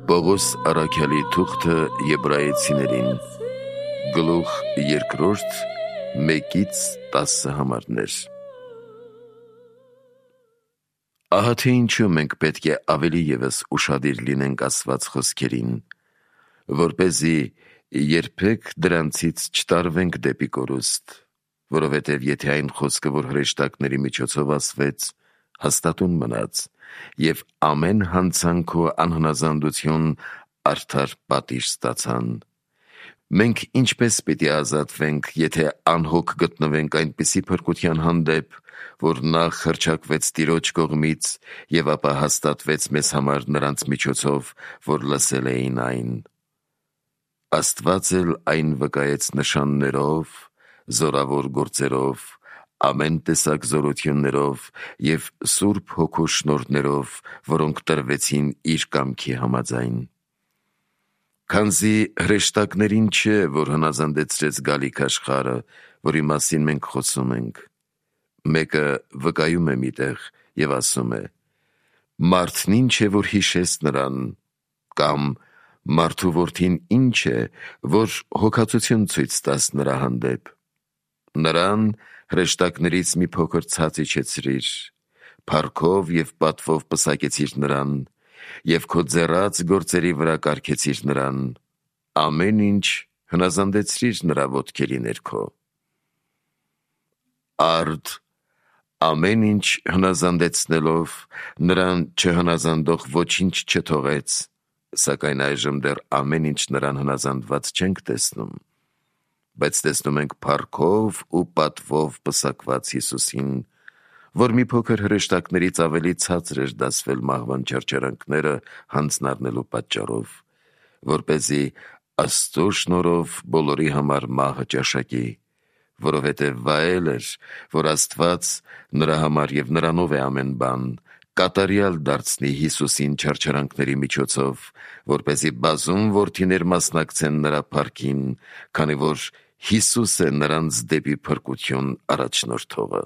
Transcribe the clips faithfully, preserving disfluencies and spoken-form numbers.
Պողոս առաքյալի թուղթը Եբրայեցիներին, գլուխ երկրորդ, մեկից տասը համարներ։ Ահա թե ինչու մենք պետք է ավելի ևս ուշադիր լինենք ասված խոսքերին, որպեսզի երբեք դրանցից չտարվենք դեպի կորուստ, որովհետև եթե այն խոսքը, որ հրեշտակների միջոցով ասվեց, հաստատուն մնաց, և ամեն հանցանք ու անհնազանդություն արդար պատիժ ստացան, մենք ինչպես պիտի ազատվենք, եթե անհոգ գտնվենք այնպիսի փրկության հանդեպ, որ նախ հռչակվեց Տիրոջ կողմից և ապա հաստատվեց մեզ համար նրանց միջոցով, որ լսել էին այն։ Աստված էլ այն վկայեց նշաններով, զորավոր գործերով, ամեն տեսակ զորություններով և Սուրբ Հոգու շնորհներով, որոնք տրվեցին իր կամքի համաձայն։ Քանզի հրեշտակներին չէ, որ հնազանդեցրեց գալիք աշխարհը, որի մասին մենք խոսում ենք։ Մեկը վկայում է մի տեղ և ասում է. «Մարդն ինչ է, որ հիշես նրան», կամ «Մարդու որդին ինչ է, որ հոգածություն ցույց տաս նրա հանդեպ»։ Նրան հրեշտակներից մի փոքր ցած իջեցրիր, փառքով և պատվով պսակեցիր նրան, և քո ձեռած գործերի վրա կարգեցիր նրան, ամեն ինչ հնազանդեցրիր նրա ոտքերի ներքո։ Արդ ամեն ինչ հնազանդեցնելով, նրան չհնազանդող ոչինչ չթողեց, սակայն այժմ դեռ ամեն ինչ նրան հնազանդված չենք տեսնում, բայց տեսնում ենք փառքով ու պատվով պսակված Հիսուսին, որ մի փոքր հրեշտակներից ավելի ցածր էր դասվել մահվան չարչարանքները հանձնառնելու պատճառով, որպեսզի Աստծո շնորհով բոլորի համար մահը ճաշակի, որովհետև վայել էր, որ Աստված նրա համար և նրանով է ամեն բան, կատարյալ դարձնի Հիսուսին չարչարանքների միջոցով, որպեսզի բազում որդիներ մասնակցեն նրա փառքին, քանի որ Հիսուս է նրանց դեպի փրկություն առաջնորդողը։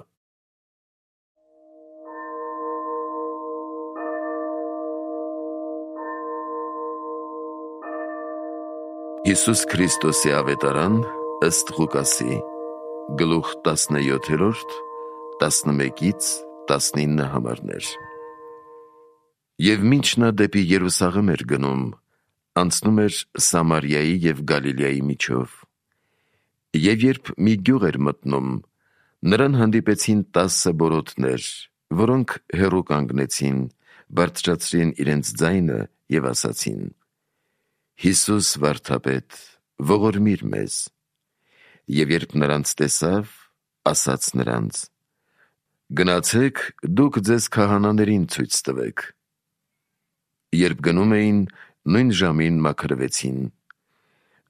Հիսուս Քրիստոսի ավետարան ըստ Ղուկասի, գլուխ տասնյոթերորդ, տասնմեկից տասնինը համարներ։ Եվ մինչ նա դեպի Երուսաղեմ էր գնում, անցնում էր Սամարիայի և Գալիլեայի միջով։ Եվ երբ մի գյուղ էր մտնում, նրան հանդիպեցին տասը բորոտներ, որոնք հեռու կանգնեցին, բարձրացրին իրենց ձայնը և ասացին. «Հիսուս վարդապետ, ողորմիր մեզ»։ Եվ երբ նրանց տեսավ, ասաց նրանց. «Գնացեք դուք ձեզ քահանաներին ցույց տվեք»։ Երբ գնում էին, նույն ժամին մաքրվեցին։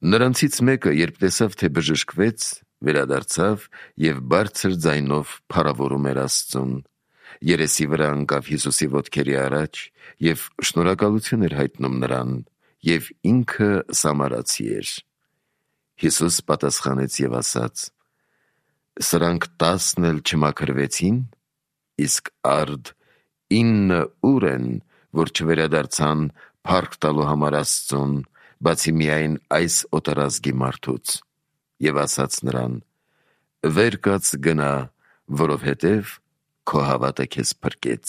Նրանցից մեկը, երբ տեսավ, թե բժշկվեց, վերադարձավ և բարձր ձայնով փառավորում էր Աստծուն, երեսի վրա ընկավ Հիսուսի ոտքերի առաջ և շնորհակալություն էր հայտնում նրան, և ինքը սամարացի էր։ Հիսուս պատասխանեց և ասաց. «Սրանք տասն էլ չմաքրվեցի՞ն, իսկ արդ ինը ու՞ր են, որ չվերադարձան փառք տալու համար Աստծուն, բացի միայն այս օտարազգի մարդուց»։ Եվ ասաց նրան. «Վեր կաց գնա, որովհետև քո հավատը քեզ փրկեց»։